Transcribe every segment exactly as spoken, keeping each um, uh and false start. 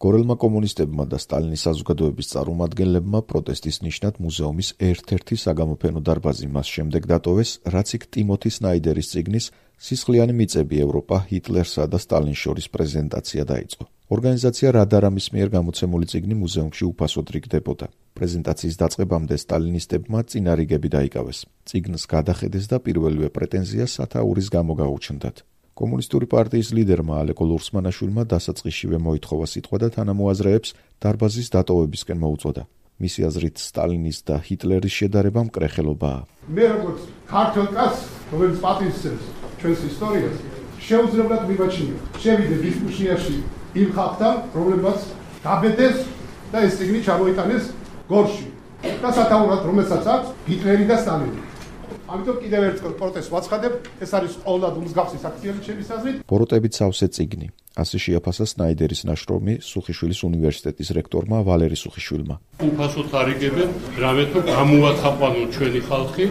გორელმა კომუნისტებმა და სტალინის საზოგადოების წარმომადგენლებმა პროტესტის ნიშნად მუზეუმის ერთ-ერთი საგამოფენო დარბაზი მას შემდეგ დატოვეს, რაც იქ ტიმოთი სნაიდერის წიგნის „სისხლიანი მიწები ევროპა, ჰიტლერსა და სტალინს შორის“ პრეზენტაცია დაიწყო. ორგანიზაცია რადარამის მიერ გამოცემული წიგნი მუზეუმში უფასოდ რიგდებოდა. პრეზენტაციის დაწყებამდე სტალინისტებმა წინარიგები დაიკავეს. წიგნს გადახედეს და პირველივე პრეტენზია სათაურის გამო გაუჩნდათ. კომუნისტური პარტიის ლიდერმა ალეკო ლურსმანაშვილმა დასაწყისშივე მოითხოვა სიტყვა და თანამოაზრეებს დარბაზის დატოვებისკენ მოუწოდა. მისი აზრით სტალინის და ჰიტლერის შედარება მკრეხელობაა. მე როგორც ქართველ კაცს, რომელიც პატივისცემს ჩვენს ისტორიას, შეუძლებელად მივაჩნია შევიდე დისკუსიაში იმ ხალხთან, რომლებმაც გაბედეს და ეს წიგნი ჩამოიტანეს გორში და სათაურად რომელსაც აქვს ჰიტლერი და სტალინი. ამიტომ კიდევ ერთხელ პროტესტს ვაცხადებ, ეს არის ყოველდღიური მსგავსი აქციები ჩემის აზრით. ბოროტებით სავსე წიგნი. ასე შეაფასა სნაიდერის ნაშრომი სუხიშვილის უნივერსიტეტის რექტორმა ვალერი სუხიშვილმა. უფასოდ არიგებენ, რამე თუ გამოაცხაყვანონ ჩვენი ხალხი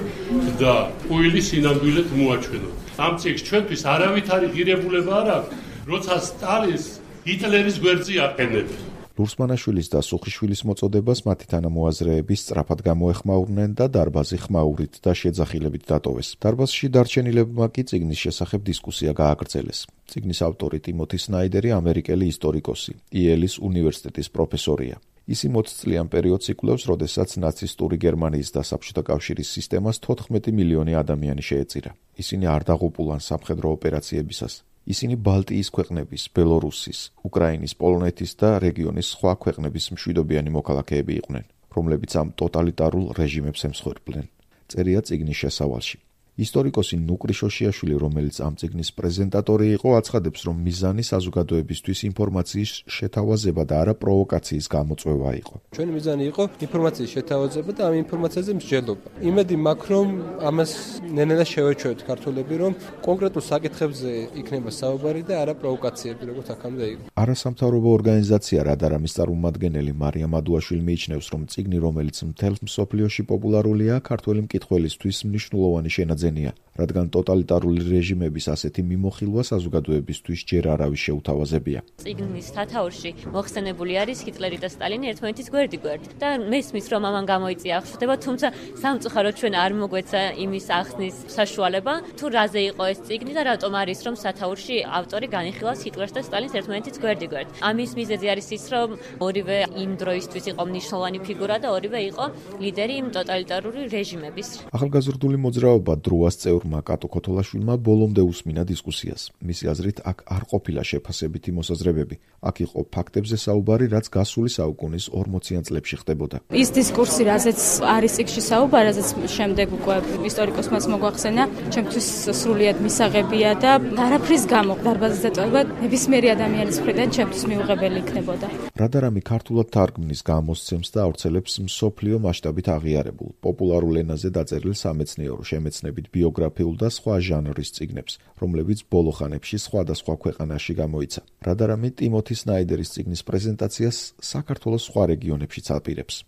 და უილი სინამდვილედ მოაჩვენონ. ამ წიგნს ჩვენთვის არავითარი ღირებულება არ აქვს, როცა სტალინს ჰიტლერის გვერდზე აყენებენ. ლურსმანაშვილის და სუხიშვილის მოწოდებას მათი თანამოაზრეები სწრაფად გამოეხმაურნენ და დარბაზი ხმაურით და შეძახილებით დატოვეს. დარბაზში დარჩენილებმა კი წიგნის შესახებ დისკუსია გააგრძელეს. წიგნის ავტორი ტიმოთი სნაიდერი ამერიკელი ისტორიკოსი, იელის უნივერსიტეტის პროფესორია. ის იმ ოცწლიან პერიოდს იკვლევს, როდესაც ნაცისტური გერმანიის და საბჭოთა კავშირის სისტემას თოთხმეტი მილიონი ადამიანი შეეწირა. ისინი არ დაღუპულან სამხედრო ოპერაციებისას. ისინი ბალტიის ქვეყნების, ბელორუსის, უკრაინის, პოლონეთის და რეგიონის სხვა ქვეყნების მშვიდობიანი მოქალაქეები იყვნენ, რომლებიც ამ ტოტალიტარულ რეჟიმებს ემსხვერპლნენ. წერია წიგნის შესავალში. ისტორიკოსი ნუკრი შოშიაშვილი, რომელიც ამ წიგნის პრეზენტატორი იყო, აცხადებს, რომ მიზანი საზოგადოებისთვის ინფორმაციის შეთავაზება და არა პროვოკაციის გამოწვევა იყო. ჩვენი მიზანი იყო ინფორმაციის შეთავაზება და ამ ინფორმაციაზე მსჯელობა. იმედი მაქვს, რომ ამას ნენელა შევეჩვევთ ქართველები, რომ კონკრეტულ საკითხებზე იქნება საუბარი და არა პროვოკაციები, როგორც აქამდე იყო. არასამთავრობო ორგანიზაცია რადარამის წარმომადგენელი მარიამ ადუაშვილი მიიჩნევს, რომ წიგნი, რომელიც მთელ მსოფლიოში პოპულარულია, ქართველი მკითხველისთვის მნიშვნელოვანი შენაძენია. რადგან ტოტალიტარული რეჟიმების ასეთი მიმოხილვა საზოგადოებისთვის ჯერ არავის შეუთავაზებია. წიგნის სათაურში მოხსენებული არის ჰიტლერი და სტალინი ერთმანეთის გვერდიგვერდ და მესმის რომ ამან გამოიწია აღშფოთება, თუმცა სამწუხაროდ ჩვენ არ მოგვეცა იმის ახსნის საშუალება, თუ რაზე იყო ეს წიგნი და რატომ არის რომ სათაურში ავტორი განიხილავს ჰიტლერს და სტალინს ერთმანეთის გვერდიგვერდ. ამის მიზეზი არის ის, რომ ორივე იმ დროისთვის იყო მნიშვნელოვანი ფიგურა და ორივე იყო ლიდერი იმ ტოტალიტარული რეჟიმების. ახალგაზრდული მოძრაობა დროას წევრმა კატო ქოთოლაშვილმა ბოლომდე უსმინა დისკუსიას. მისი აზრით, აქ არ ყოფილა შეფასებითი მოსაზრებები. აქ იყო ფაქტებზე საუბარი, რაც გასული საუკუნის ორმოციან წლებში ხდებოდა. ის დისკურსი, რაზეც არის წიგნში საუბარი, რაზეც შემდეგ უკვე ისტორიკოსმა მოგვახსენა, ჩემთვის სრულიად მისაღებია და არაფრის გამო დარბაზის დატოვება ნებისმიერი ადამიანის მხრიდან ჩემთვის მიუღებელი იქნებოდა. რადარამი ქართულად თარგმნის, გამოსცემს და ავრცელებს მსოფლიო მასშტაბით აღიარებულ, პოპულარულ ენაზე დაწერილ სამეცნიერო შემეცნებით ბიოგრაფიულ და სხვა ჟანრის წიგნებს, რომლებიც ბოლო ხანებში სხვადასხვა ქვეყანაში გამოიცა. რადარამი ტიმოთი სნაიდერის წიგნის პრეზენტაციას საქართველოს სხვა რეგიონებშიც აპირებს.